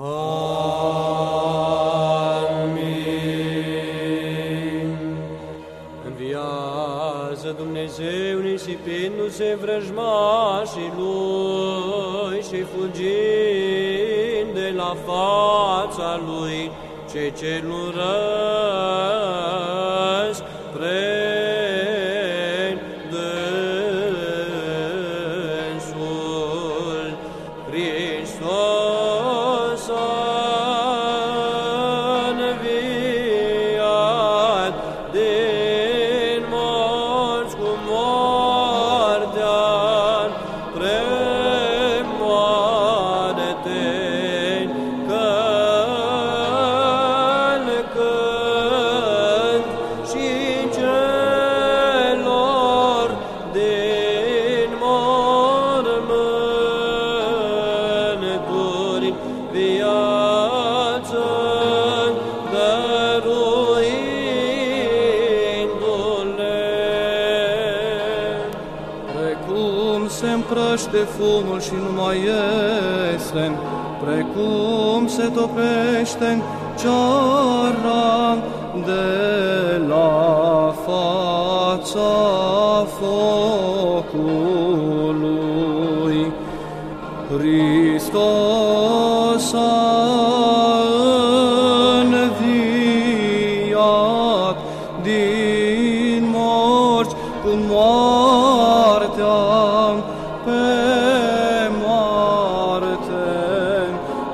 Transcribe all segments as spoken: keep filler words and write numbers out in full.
Amin. Înviază Dumnezeu nisipindu-se vrăjmașii Lui și fugind de la fața Lui cei ce nu răs prea dânsul. Hristos a înviat din morți cu moartea premoarte, călcând și celor din mormânturi viață dăruindu-le. Precum se împrăște fumul și nu mai iese, precum se topește ceara de la fața focului, Hristos a înviat din morți cu moartea pe moarte,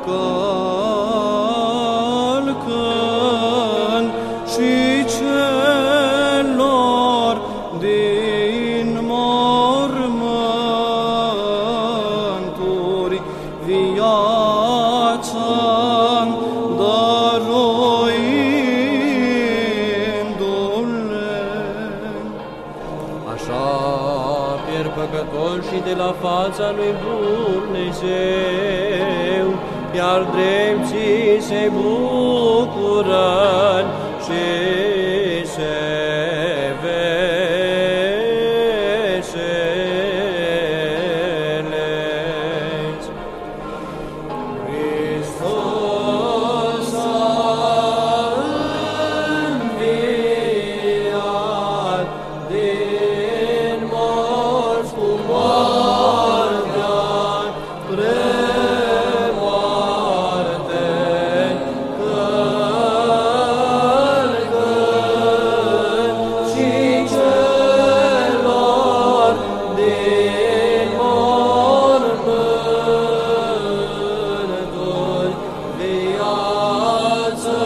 călcând și celor din mormânturi viață dăruindu-le. Așa pierd păcătoșii de la fața lui Dumnezeu, iar drepții se bucură și se veselesc. Hristos a înviat din morți cu moartea premoarte, călcând și celor din mormânturi viață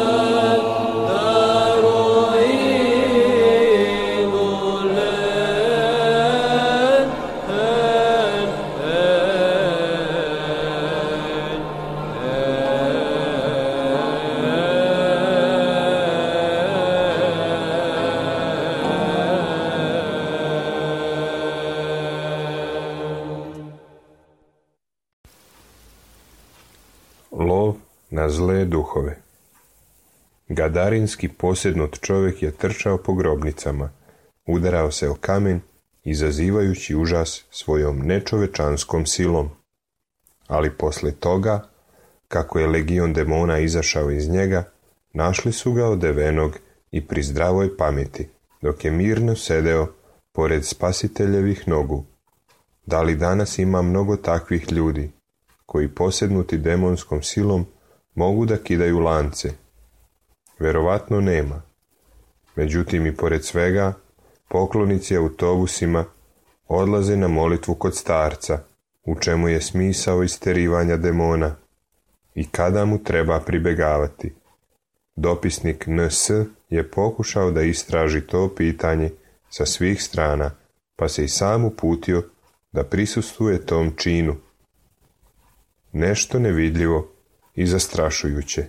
Lov na zle duhove. Gadarinski posjednut čovjek je trčao po grobnicama, udarao se o kamen, izazivajući užas svojom nečovečanskom silom. Ali posle toga, kako je legion demona izašao iz njega, našli su ga odevenog i pri zdravoj pameti, dok je mirno sedeo pored spasiteljevih nogu. Da li danas ima mnogo takvih ljudi, koji posjednuti demonskom silom mogu da kidaju lance? Verovatno nema. Međutim, i pored svega, poklonici autobusima odlaze na molitvu kod starca, u čemu je smisao isterivanja demona i kada mu treba pribegavati. Dopisnik N S je pokušao da istraži to pitanje sa svih strana, pa se i sam uputio da prisustvuje tom činu. Nešto nevidljivo i zastrašujuće.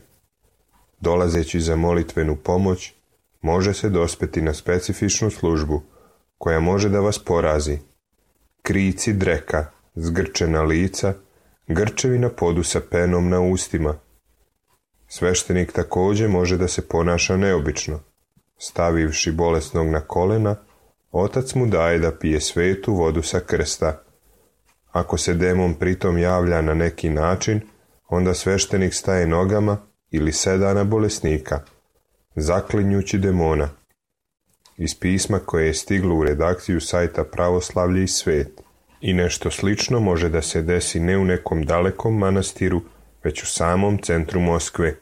Dolazeći za molitvenu pomoć, može se dospeti na specifičnu službu koja može da vas porazi. Krici dreka, zgrčena lica, grčevi na podu sa penom na ustima. Sveštenik također može da se ponaša neobično. Stavivši bolesnog na kolena, otac mu daje da pije svetu vodu sa krsta. Ako se demon pritom javlja na neki način, Onda sveštenik staje nogama ili seda na bolesnika, zaklinjući demona. Iz pisma koje je stiglo u redakciju sajta Pravoslavlje i svet. I nešto slično može da se desi ne u nekom dalekom manastiru, već u samom centru Moskve.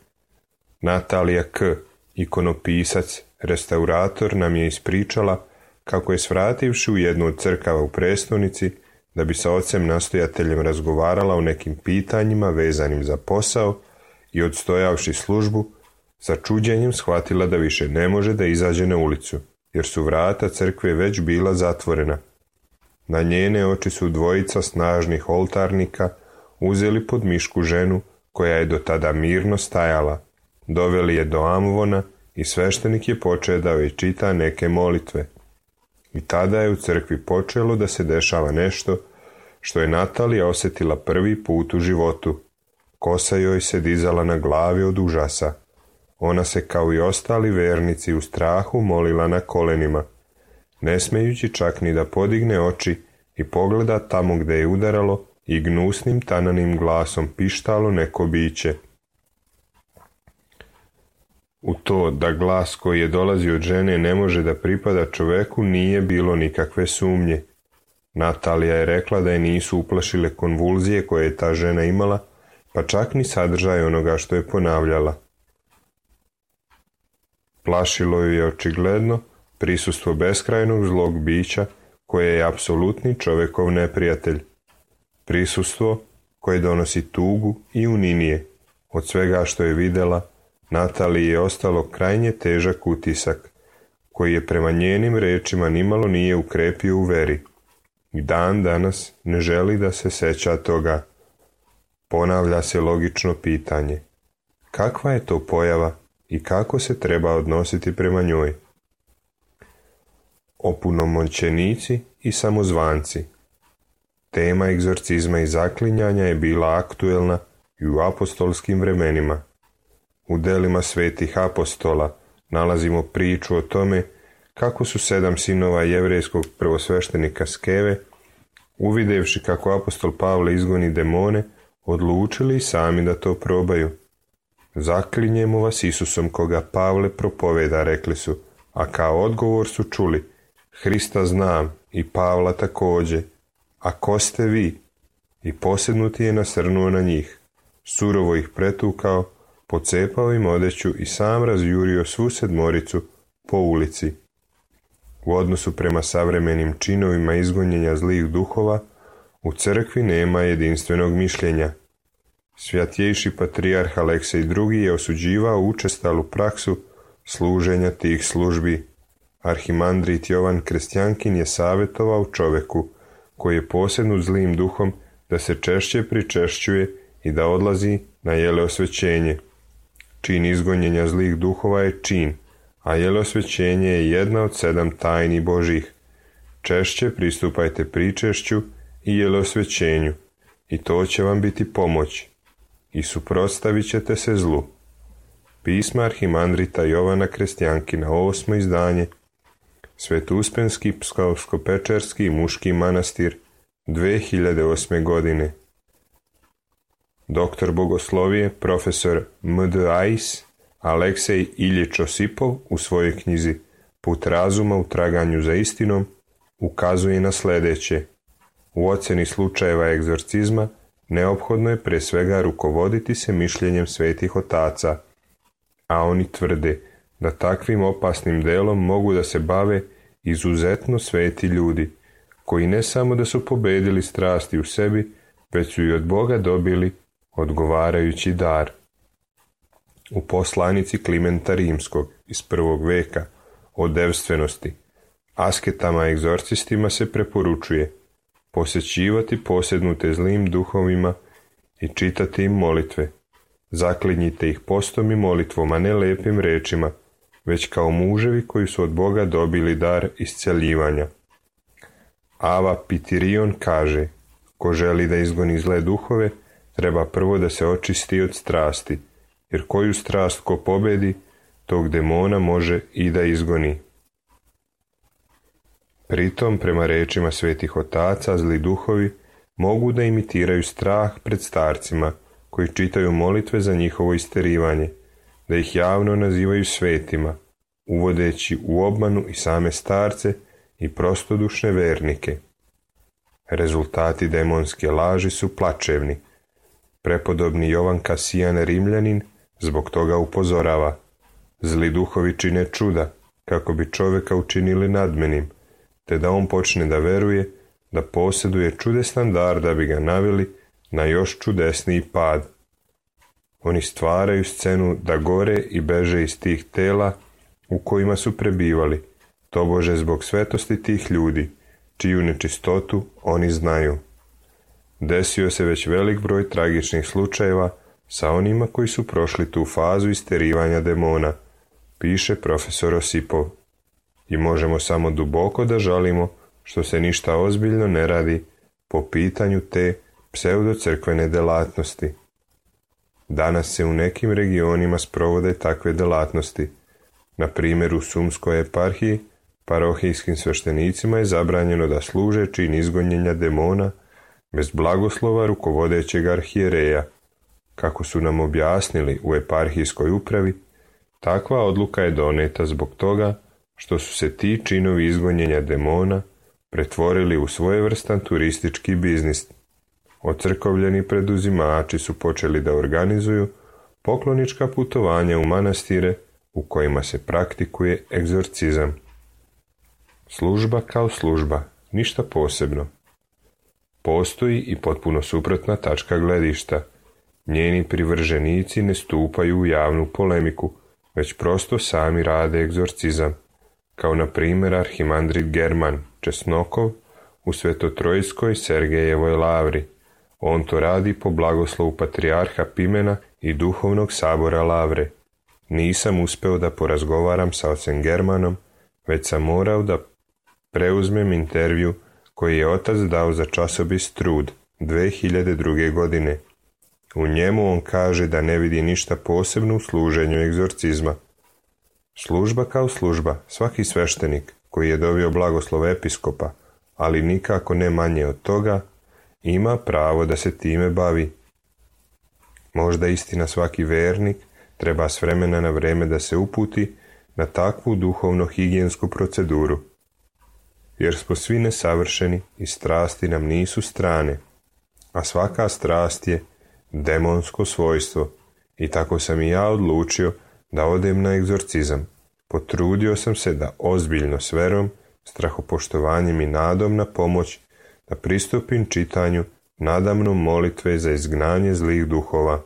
Natalija K., ikonopisac, restaurator, nam je ispričala kako je svrativši u jednu od crkava u prestonici da bi sa ocem nastojateljem razgovarala o nekim pitanjima vezanim za posao i odstojavši službu, sa čuđenjem shvatila da više ne može da izađe na ulicu, jer su vrata crkve već bila zatvorena. Na njene oči su dvojica snažnih oltarnika uzeli pod mišku ženu koja je do tada mirno stajala, doveli je do amvona i sveštenik je počeo da joj čita neke molitve. I tada je u crkvi počelo da se dešava nešto što je Natalija osjetila prvi put u životu. Kosa joj se dizala na glavi od užasa. Ona se kao i ostali vernici u strahu molila na kolenima, ne smejući čak ni da podigne oči i pogleda tamo gde je udaralo i gnusnim tananim glasom pištalo neko biće. U to da glas koji je dolazio od žene ne može da pripada čoveku nije bilo nikakve sumnje. Natalija je rekla da je nisu uplašile konvulzije koje je ta žena imala, pa čak ni sadržaj onoga što je ponavljala. Plašilo ju je očigledno prisustvo beskrajnog zlog bića koje je apsolutni čovekov neprijatelj. Prisustvo koje donosi tugu i uninije. Od svega što je videla, Nataliji je ostalo krajnje težak utisak, koji je prema njenim rečima nimalo nije ukrepio u veri. I dan danas ne želi da se seća toga. Ponavlja se logično pitanje. Kakva je to pojava i kako se treba odnositi prema njoj? Opunomoćenici i samozvanci. Tema egzorcizma i zaklinjanja je bila aktuelna i u apostolskim vremenima. U delima svetih apostola nalazimo priču o tome kako su sedam sinova jevrejskog prvosveštenika Skeve, uvidevši kako apostol Pavle izgoni demone, odlučili i sami da to probaju. Zaklinjemo vas Isusom koga Pavle propoveda, rekli su, a kao odgovor su čuli, Hrista znam i Pavla takođe, a ko ste vi? I posednuti je nasrnuo na njih, surovo ih pretukao, pocepao im odeću i sam razjurio svu sedmoricu po ulici. U odnosu prema savremenim činovima izgonjenja zlih duhova, u crkvi nema jedinstvenog mišljenja. Svjatjejši patrijarh Aleksej drugi je osuđivao učestalu praksu služenja tih službi. Arhimandrit Jovan Krestjankin je savjetovao čoveku, koji je posednut zlim duhom, da se češće pričešćuje i da odlazi na jeleosvećenje. Čin izgonjenja zlih duhova je čin, a jeleosvećenje je jedna od sedam tajni Božih. Češće pristupajte pričešću i jeleosvećenju, i to će vam biti pomoć, i suprotstavit ćete se zlu. Pisma arhimandrita Jovana Krestjankina, osmo izdanje, Svetuspenski Pskovsko-Pečerski muški manastir, dve hiljade osme godine. Doktor bogoslovije, profesor M D A I S, Aleksej Iljič Osipov u svojoj knjizi Put razuma u traganju za istinom ukazuje na sljedeće. U ocjeni slučajeva egzorcizma neophodno je pre svega rukovoditi se mišljenjem svetih otaca, a oni tvrde da takvim opasnim delom mogu da se bave izuzetno sveti ljudi, koji ne samo da su pobedili strasti u sebi, već su i od Boga dobili odgovarajući dar. U poslanici Klimenta Rimskog iz prvog veka o devstvenosti, asketama i egzorcistima se preporučuje posjećivati posednute zlim duhovima i čitati im molitve. Zaklinjite ih postom i molitvom, a ne lepim rečima, već kao muževi koji su od Boga dobili dar isceljivanja. Ava Pitirion kaže, ko želi da izgoni zle duhove, treba prvo da se očisti od strasti, jer koju strast ko pobedi, tog demona može i da izgoni. Pritom, prema rečima svetih otaca, zli duhovi mogu da imitiraju strah pred starcima, koji čitaju molitve za njihovo isterivanje, da ih javno nazivaju svetima, uvodeći u obmanu i same starce i prostodušne vernike. Rezultati demonske laži su plačevni. Prepodobni Jovan Kasijan Rimljanin zbog toga upozorava: zli duhovi čine čuda, kako bi čovjeka učinili nadmenim, te da on počne da veruje da posjeduje čudesan dar da bi ga naveli na još čudesniji pad. Oni stvaraju scenu da gore i beže iz tih tela u kojima su prebivali, tobože zbog svetosti tih ljudi, čiju nečistotu oni znaju. Desio se već velik broj tragičnih slučajeva sa onima koji su prošli tu fazu isterivanja demona, piše profesor Osipov. I možemo samo duboko da žalimo što se ništa ozbiljno ne radi po pitanju te pseudocrkvene delatnosti. Danas se u nekim regionima sprovode takve delatnosti. Na primjer, u Sumskoj eparhiji parohijskim sveštenicima je zabranjeno da služe čin izgonjenja demona bez blagoslova rukovodećeg arhijereja. Kako su nam objasnili u eparhijskoj upravi, takva odluka je doneta zbog toga što su se ti činovi izgonjenja demona pretvorili u svojevrstan turistički biznis. Ocrkovljeni preduzimači su počeli da organizuju poklonička putovanja u manastire u kojima se praktikuje egzorcizam. Služba kao služba, ništa posebno. Postoji i potpuno suprotna tačka gledišta. Njeni privrženici ne stupaju u javnu polemiku, već prosto sami rade egzorcizam, kao na primjer arhimandrit German Česnokov u Svetotrojskoj Sergejevoj lavri. On to radi po blagoslovu patrijarha Pimena i duhovnog sabora lavre. Nisam uspeo da porazgovaram sa ocem Germanom, već sam morao da preuzmem intervju koji je otac dao za časopis Trud dve hiljade druge. godine. U njemu on kaže da ne vidi ništa posebno u služenju egzorcizma. Služba kao služba, svaki sveštenik koji je dobio blagoslov episkopa, ali nikako ne manje od toga, ima pravo da se time bavi. Možda istina svaki vernik treba s vremena na vreme da se uputi na takvu duhovno-higijensku proceduru, jer smo svi nesavršeni i strasti nam nisu strane, a svaka strast je demonsko svojstvo, i tako sam i ja odlučio da odem na egzorcizam. Potrudio sam se da ozbiljno s verom, strahopoštovanjem i nadom na pomoć da pristupim čitanju nadamnom molitve za izgnanje zlih duhova.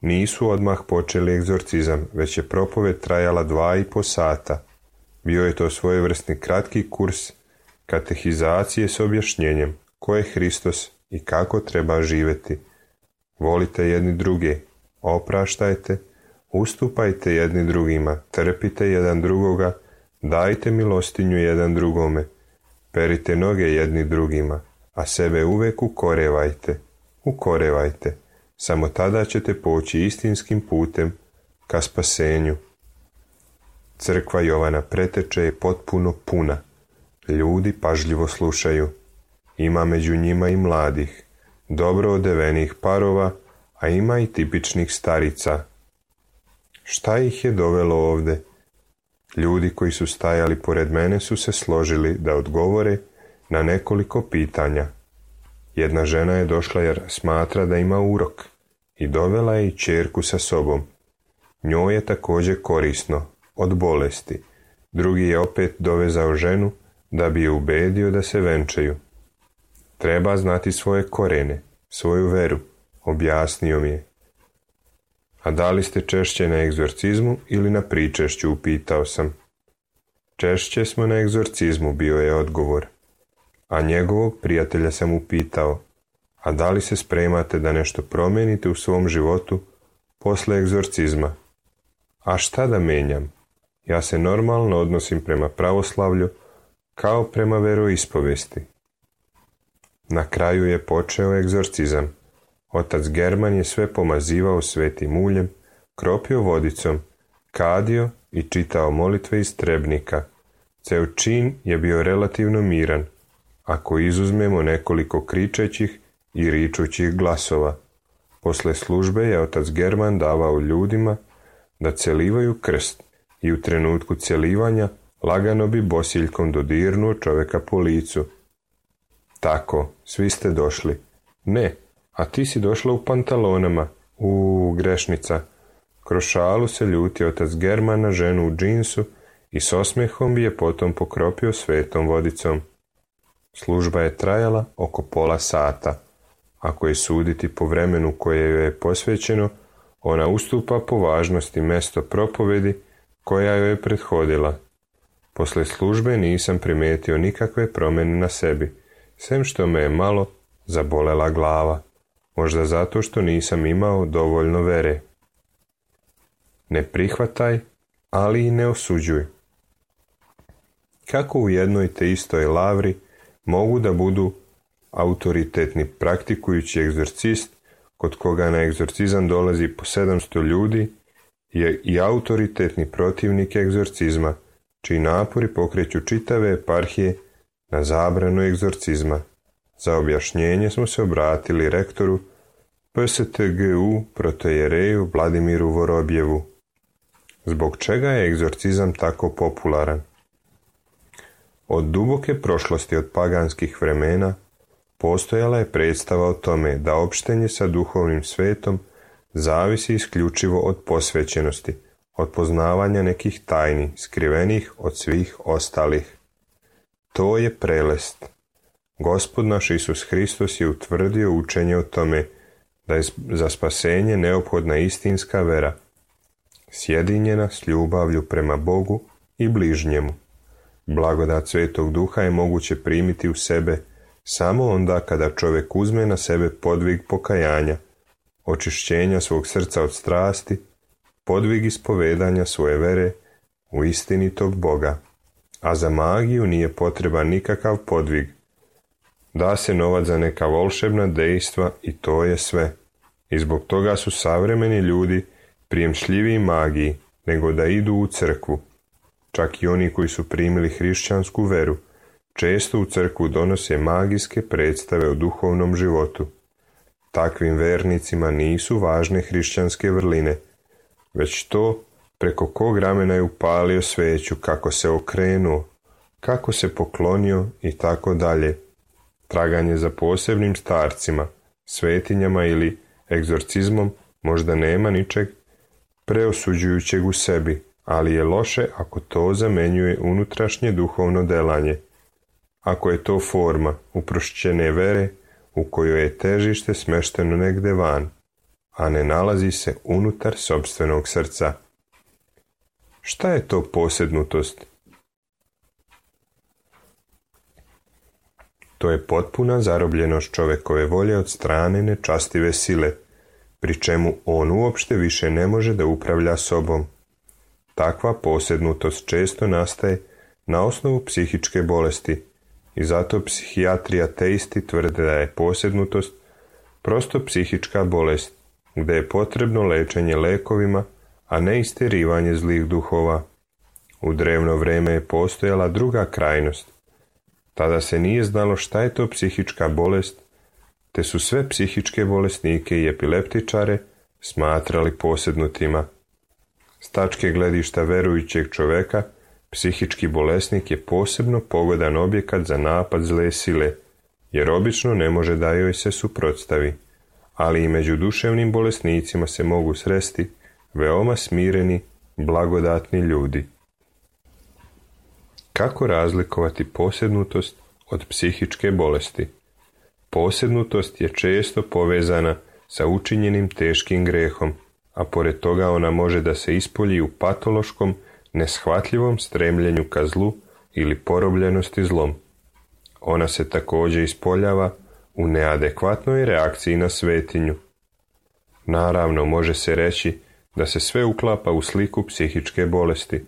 Nisu odmah počeli egzorcizam, već je propoved trajala dva i po sata. Bio je to svojevrsni kratki kurs katehizacije s objašnjenjem ko je Hristos i kako treba živjeti. Volite jedni druge, opraštajte, ustupajte jedni drugima, trpite jedan drugoga, dajte milostinju jedan drugome, perite noge jedni drugima, a sebe uvek ukorevajte, ukorevajte. Samo tada ćete poći istinskim putem ka spasenju. Crkva Jovana Preteče je potpuno puna. Ljudi pažljivo slušaju. Ima među njima i mladih, dobro odevenih parova, a ima i tipičnih starica. Šta ih je dovelo ovde? Ljudi koji su stajali pored mene su se složili da odgovore na nekoliko pitanja. Jedna žena je došla jer smatra da ima urok i dovela je i ćerku sa sobom. Njoj je također korisno, od bolesti. Drugi je opet dovezao ženu da bi je ubedio da se venčaju. Treba znati svoje korene, svoju veru, objasnio mi je. A da li ste češće na egzorcizmu ili na pričešću, upitao sam. Češće smo na egzorcizmu, bio je odgovor. A njegovog prijatelja sam upitao, a da li se spremate da nešto promijenite u svom životu posle egzorcizma? A šta da menjam? Ja se normalno odnosim prema pravoslavlju kao prema veroispovesti. Na kraju je počeo egzorcizam. Otac German je sve pomazivao svetim uljem, kropio vodicom, kadio i čitao molitve iz trebnika. Ceo čin je bio relativno miran, ako izuzmemo nekoliko kričećih i ričućih glasova. Posle službe je otac German davao ljudima da celivaju krst i u trenutku celivanja lagano bi bosiljkom dodirnuo čoveka po licu. Tako, svi ste došli. Ne, a ti si došla u pantalonama. U grešnica. Kroz šalu se ljuti otac German na ženu u džinsu i s osmehom bi je potom pokropio svetom vodicom. Služba je trajala oko pola sata. Ako je suditi po vremenu koje joj je posvećeno, ona ustupa po važnosti mesto propovedi koja joj je prethodila. Posle službe nisam primetio nikakve promjene na sebi, sem što me je malo zabolela glava, možda zato što nisam imao dovoljno vere. Ne prihvataj, ali i ne osuđuj. Kako u jednoj te istoj lavri mogu da budu autoritetni praktikujući egzorcist, kod koga na egzorcizam dolazi po sedamsto ljudi, je i autoritetni protivnik egzorcizma, čiji napori pokreću čitave eparhije na zabranu egzorcizma. Za objašnjenje smo se obratili rektoru P S T G U protojereju Vladimiru Vorobjevu. Zbog čega je egzorcizam tako popularan? Od duboke prošlosti, od paganskih vremena, postojala je predstava o tome da opštenje sa duhovnim svetom zavisi isključivo od posvećenosti, od poznavanja nekih tajni, skrivenih od svih ostalih. To je prelest. Gospod naš Isus Hristos je utvrdio učenje o tome da je za spasenje neophodna istinska vera, sjedinjena s ljubavlju prema Bogu i bližnjemu. Blagodat Svetog Duha je moguće primiti u sebe samo onda kada čovjek uzme na sebe podvig pokajanja, očišćenja svog srca od strasti, podvig ispovedanja svoje vere u istinitog Boga. A za magiju nije potreban nikakav podvig. Da se novac za neka volšebna dejstva i to je sve. I zbog toga su savremeni ljudi prijemčljiviji magiji nego da idu u crkvu. Čak i oni koji su primili hrišćansku veru često u crkvu donose magijske predstave o duhovnom životu. Takvim vernicima nisu važne hrišćanske vrline, već to preko kog ramena je upalio sveću, kako se okrenuo, kako se poklonio i tako dalje. Traganje za posebnim starcima, svetinjama ili egzorcizmom možda nema ničeg preosuđujućeg u sebi, ali je loše ako to zamenjuje unutrašnje duhovno delanje. Ako je to forma uprošćene vere u kojoj je težište smešteno negde van, a ne nalazi se unutar sopstvenog srca. Šta je to posednutost? To je potpuna zarobljenost čovekove volje od strane nečastive sile, pri čemu on uopšte više ne može da upravlja sobom. Takva posednutost često nastaje na osnovu psihičke bolesti i zato psihijatri ateisti tvrde da je posednutost prosto psihička bolest, gde je potrebno lečenje lekovima, a ne isterivanje zlih duhova. U drevno vreme je postojala druga krajnost. Tada se nije znalo šta je to psihička bolest, te su sve psihičke bolesnike i epileptičare smatrali posednutima. S tačke gledišta verujućeg čoveka, psihički bolesnik je posebno pogodan objekat za napad zle sile, jer obično ne može da joj se suprotstavi, ali i među duševnim bolesnicima se mogu sresti veoma smireni, blagodatni ljudi. Kako razlikovati posednutost od psihičke bolesti? Posednutost je često povezana sa učinjenim teškim grehom, a pored toga ona može da se ispolji u patološkom, neshvatljivom stremljenju ka zlu ili porobljenosti zlom. Ona se također ispoljava u neadekvatnoj reakciji na svetinju. Naravno, može se reći da se sve uklapa u sliku psihičke bolesti,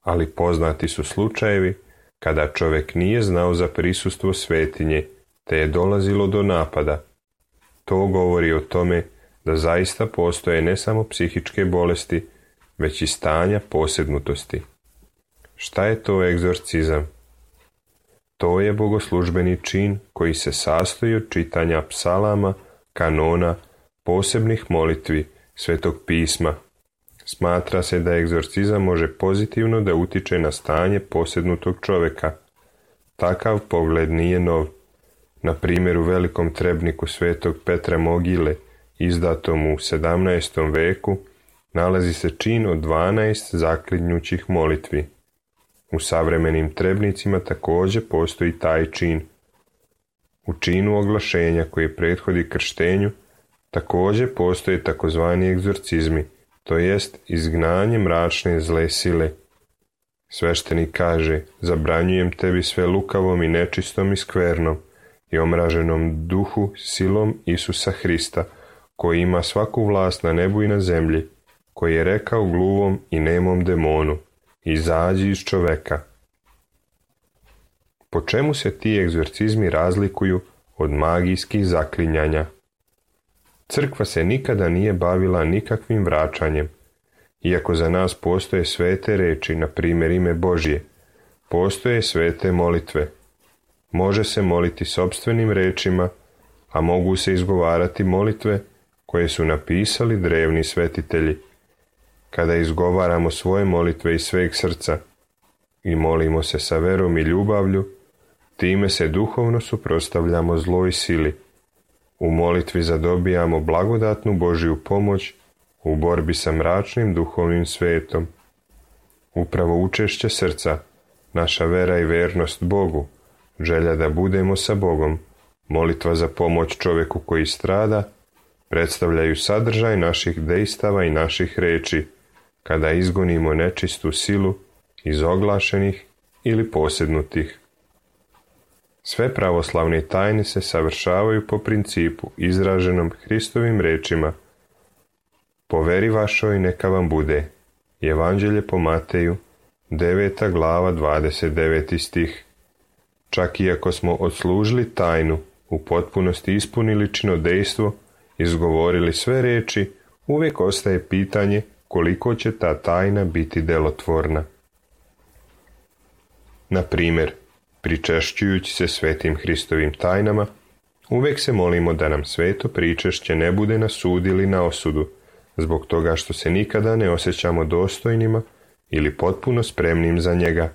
ali poznati su slučajevi kada čovjek nije znao za prisustvo svetinje, te je dolazilo do napada. To govori o tome da zaista postoje ne samo psihičke bolesti, već i stanja posednutosti. Šta je to egzorcizam? To je bogoslužbeni čin koji se sastoji od čitanja psalama, kanona, posebnih molitvi, Svetog pisma. Smatra se da egzorcizam može pozitivno da utiče na stanje posjednutog čovjeka. Takav pogled nije nov. Na primjer, u velikom trebniku Svetog Petra Mogile, izdatom u sedamnaestom veku, nalazi se čin od dvanaest zaklinjućih molitvi. U savremenim trebnicima također postoji taj čin. U činu oglašenja koji prethodi krštenju također postoje takozvani egzorcizmi, to jest izgnanje mračne zle sile. Sveštenik kaže: zabranjujem tebi sve lukavom i nečistom i skvernom i omraženom duhu silom Isusa Hrista, koji ima svaku vlast na nebu i na zemlji, koji je rekao gluvom i nemom demonu: izađi iz čoveka. Po čemu se ti egzorcizmi razlikuju od magijskih zaklinjanja? Crkva se nikada nije bavila nikakvim vraćanjem. Iako za nas postoje svete reči, na primjer ime Božje, postoje svete molitve. Može se moliti sopstvenim rečima, a mogu se izgovarati molitve koje su napisali drevni svetitelji. Kada izgovaramo svoje molitve iz sveg srca i molimo se sa verom i ljubavlju, time se duhovno suprotstavljamo zloj sili. U molitvi zadobijamo blagodatnu Božju pomoć u borbi sa mračnim duhovnim svetom. Upravo učešće srca, naša vera i vernost Bogu, želja da budemo sa Bogom, molitva za pomoć čovjeku koji strada, predstavljaju sadržaj naših dejstava i naših reči, kada izgonimo nečistu silu iz oglašenih ili posjednutih. Sve pravoslavne tajne se savršavaju po principu izraženom Hristovim rečima: po veri vašoj neka vam bude. Evanđelje po Mateju, deveta glava, dvadeset deveti stih. Čak i ako smo odslužili tajnu, u potpunosti ispunili činodejstvo, izgovorili sve reči, uvijek ostaje pitanje koliko će ta tajna biti delotvorna. Na primjer, pričešćujući se svetim Hristovim tajnama, uvijek se molimo da nam sveto pričešće ne bude na sud ili na osudu, zbog toga što se nikada ne osjećamo dostojnima ili potpuno spremnim za njega.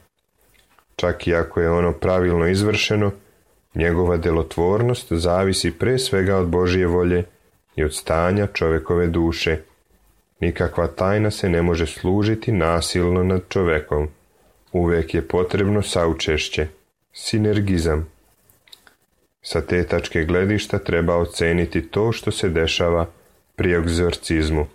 Čak i ako je ono pravilno izvršeno, njegova delotvornost zavisi pre svega od Božje volje i od stanja čovjekove duše. Nikakva tajna se ne može služiti nasilno nad čovjekom. Uvijek je potrebno saučešće, sinergizam. Sa te tačke gledišta treba oceniti to što se dešava pri egzorcizmu.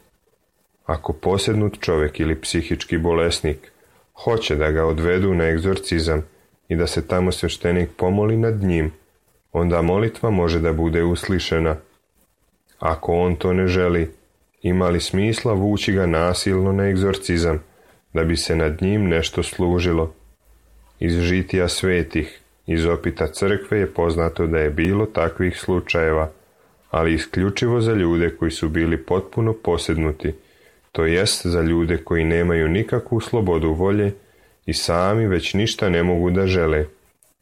Ako posjednut čovjek ili psihički bolesnik hoće da ga odvedu na egzorcizam i da se tamo sveštenik pomoli nad njim, onda molitva može da bude uslišena. Ako on to ne želi, ima li smisla vući ga nasilno na egzorcizam, da bi se nad njim nešto služilo? Iz žitija svetih, iz opita crkve je poznato da je bilo takvih slučajeva, ali isključivo za ljude koji su bili potpuno posjednuti, to jest za ljude koji nemaju nikakvu slobodu volje i sami već ništa ne mogu da žele,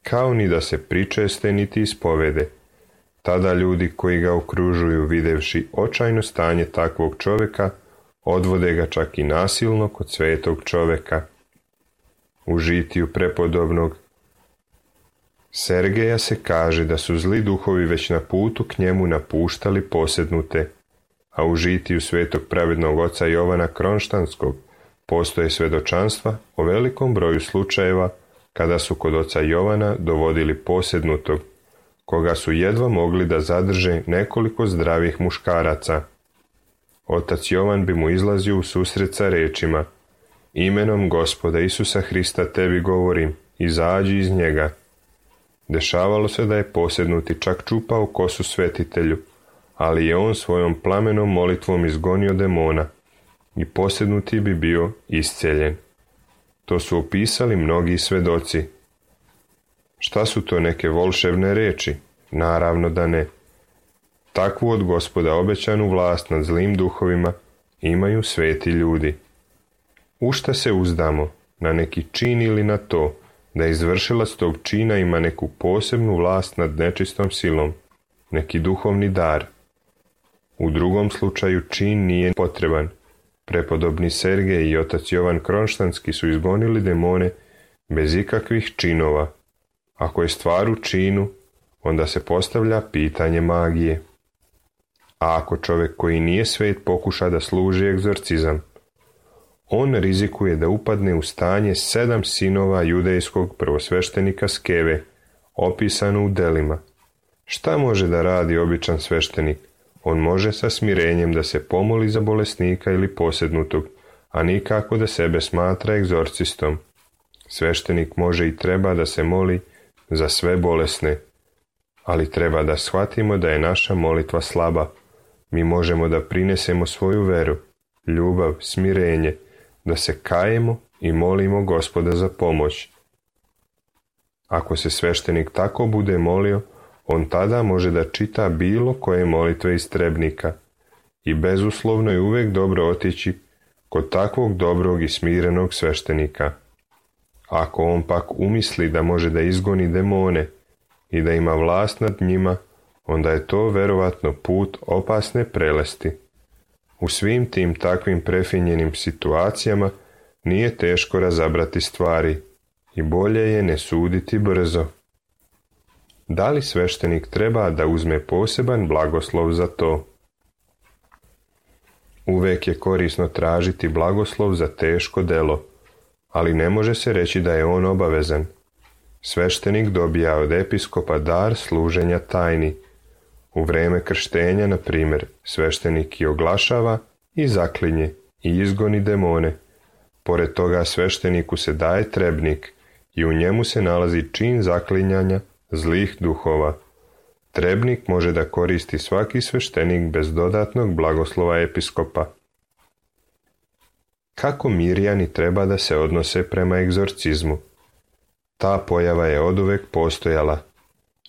kao ni da se pričeste niti ispovede. Tada ljudi koji ga okružuju, videvši očajno stanje takvog čovjeka, odvode ga čak i nasilno kod svetog čovjeka. U žitiju prepodobnog Sergeja se kaže da su zli duhovi već na putu k njemu napuštali posjednute, a u žitiju svetog pravednog oca Jovana Kronštanskog postoje svedočanstva o velikom broju slučajeva kada su kod oca Jovana dovodili posjednutog, koga su jedva mogli da zadrže nekoliko zdravih muškaraca. Otac Jovan bi mu izlazio u susret sa rečima: imenom Gospoda Isusa Hrista tebi govorim, izađi iz njega. Dešavalo se da je posjednuti čak čupao kosu svetitelju, ali je on svojom plamenom molitvom izgonio demona i posjednuti bi bio isceljen. To su opisali mnogi svedoci. Šta su to neke volšebne reči? Naravno da ne. Takvu od Gospoda obećanu vlast nad zlim duhovima imaju sveti ljudi. U šta se uzdamo? Na neki čin ili na to da izvršilac tog čina ima neku posebnu vlast nad nečistom silom, neki duhovni dar. U drugom slučaju čin nije potreban. Prepodobni Sergej i otac Jovan Kronštanski su izgonili demone bez ikakvih činova. Ako je stvar u činu, onda se postavlja pitanje magije. A ako čovjek koji nije svet pokuša da služi egzorcizam, on rizikuje da upadne u stanje sedam sinova judejskog prvosveštenika Skeve, opisano u delima. Šta može da radi običan sveštenik? On može sa smirenjem da se pomoli za bolesnika ili posednutog, a nikako da sebe smatra egzorcistom. Sveštenik može i treba da se moli za sve bolesne, ali treba da shvatimo da je naša molitva slaba. Mi možemo da prinesemo svoju veru, ljubav, smirenje, da se kajemo i molimo Gospoda za pomoć. Ako se sveštenik tako bude molio, on tada može da čita bilo koje molitve istrebnika i bezuslovno je uvijek dobro otići kod takvog dobrog i smirenog sveštenika. Ako on pak umisli da može da izgoni demone i da ima vlast nad njima, onda je to verovatno put opasne prelesti. U svim tim takvim prefinjenim situacijama nije teško razabrati stvari i bolje je ne suditi brzo. Da li sveštenik treba da uzme poseban blagoslov za to? Uvek je korisno tražiti blagoslov za teško delo, ali ne može se reći da je on obavezan. Sveštenik dobija od episkopa dar služenja tajni. U vreme krštenja, na primjer, sveštenik i oglašava i zaklinje i izgoni demone. Pored toga svešteniku se daje trebnik i u njemu se nalazi čin zaklinjanja zlih duhova. Trebnik može da koristi svaki sveštenik bez dodatnog blagoslova episkopa. Kako Mirjani treba da se odnose prema egzorcizmu? Ta pojava je oduvek postojala.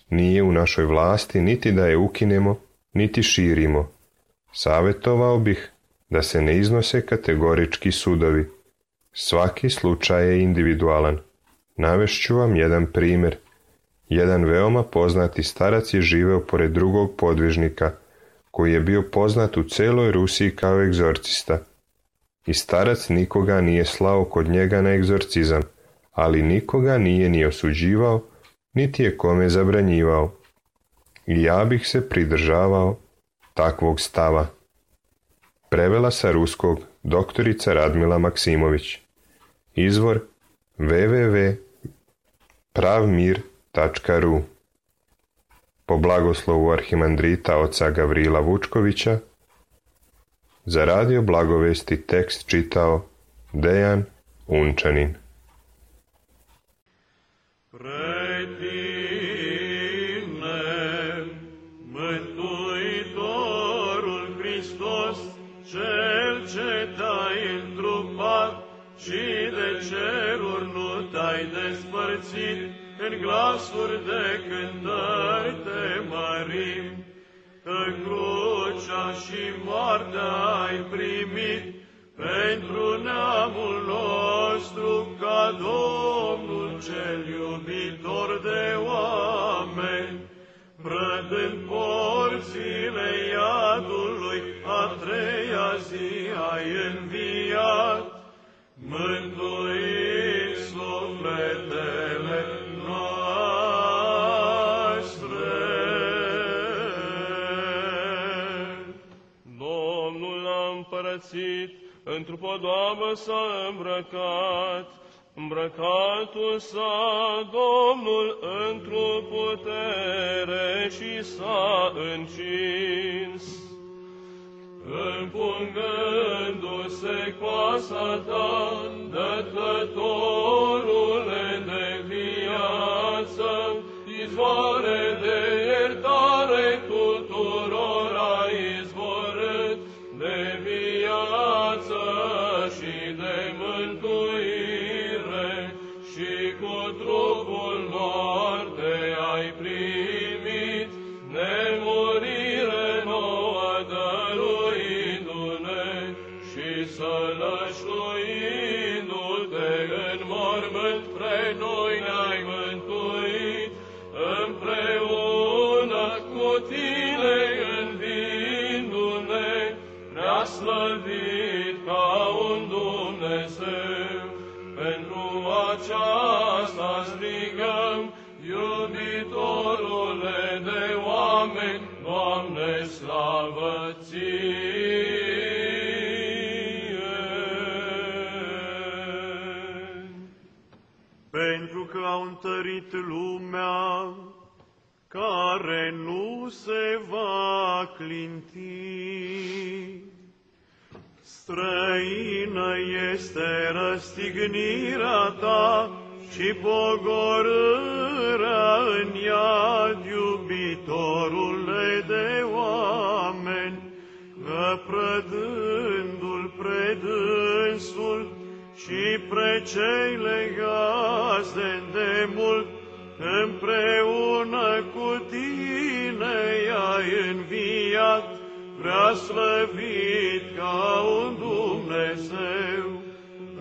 Nije u našoj vlasti niti da je ukinemo, niti širimo. Savjetovao bih da se ne iznose kategorički sudovi. Svaki slučaj je individualan. Navešću vam jedan primjer. Jedan veoma poznati starac je živeo pored drugog podvižnika, koji je bio poznat u celoj Rusiji kao egzorcista. I starac nikoga nije slao kod njega na egzorcizam, ali nikoga nije ni osuđivao, niti je kome zabranjivao. I ja bih se pridržavao takvog stava. Prevela sa ruskog doktorica Radmila Maksimović. Izvor w w w tačka pravmir tačka r u. Po blagoslovu arhimandrita oca Gavrila Vučkovića, za radio Blagovesti tekst čitao Dejan Unčanin. Și de ceruri nu te-ai despărțit, în glasuri de cântări te mărim, că crucea și moartea ai primit pentru neamul nostru ca Domnul cel iubitor de oameni, brădând porțile iadului, a treia zi ai înviat, mântuit sufletele noastre. Domnul a împărățit, într-o podoabă s-a îmbrăcat, îmbrăcatul s-a Domnul într-o putere și s-a încins. Împungându-se coasa ta, dătătorule de viață, izvoare de iertare tuturor ai izvorât, de viață și de mântuire, și cu trupul moarte ai primit, nemurire nouă dăruindu-ne și sălășluindu-te în mormânt pre noi prea slăvit ca un Dumnezeu. Pentru aceasta strigăm, iubitorule de oameni, Doamne, slavă Ție! Pentru că au întărit lumea, care nu se va clinti. Străină este răstignirea ta și pogorârea în iad, iubitorule de oameni, că prădându-l predânsul și pre cei legați de îndemult, împreună cu tine i-ai înviat, prea slăvit ca un Dumnezeu,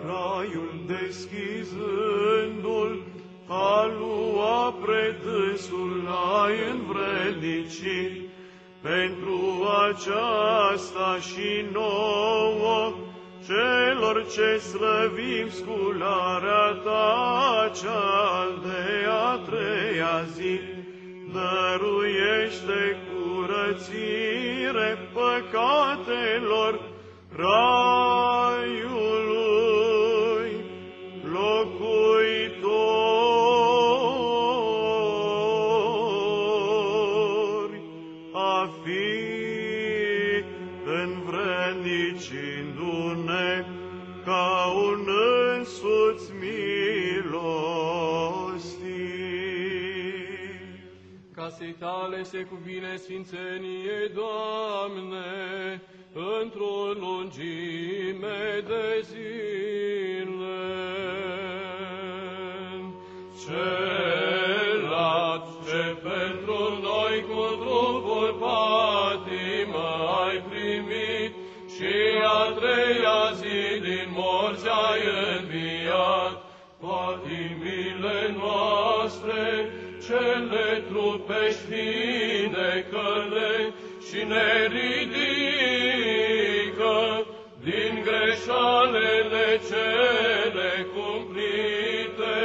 raiul deschizându-l, a lua predânsul l-ai învrednicit. Pentru aceasta și nouă, celor ce slăvim scularea ta, cea de a treia zi, dăruiește curățire păcatelor raiului locuitori, a fi învrednicindu-ne ca un însuți milostiv. Casei tale se cuvine sfințenie, Doamne, într-o lungime de zile. Celat ce pentru noi cu trupul patimă ai primit și a treia zi din morți ai înviat, patimile noastre, cele trupești vindecă-le și ne ridică din greșalele cele cumplite,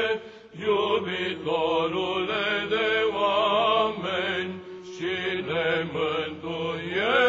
iubitorule de oameni, și ne mântuiește.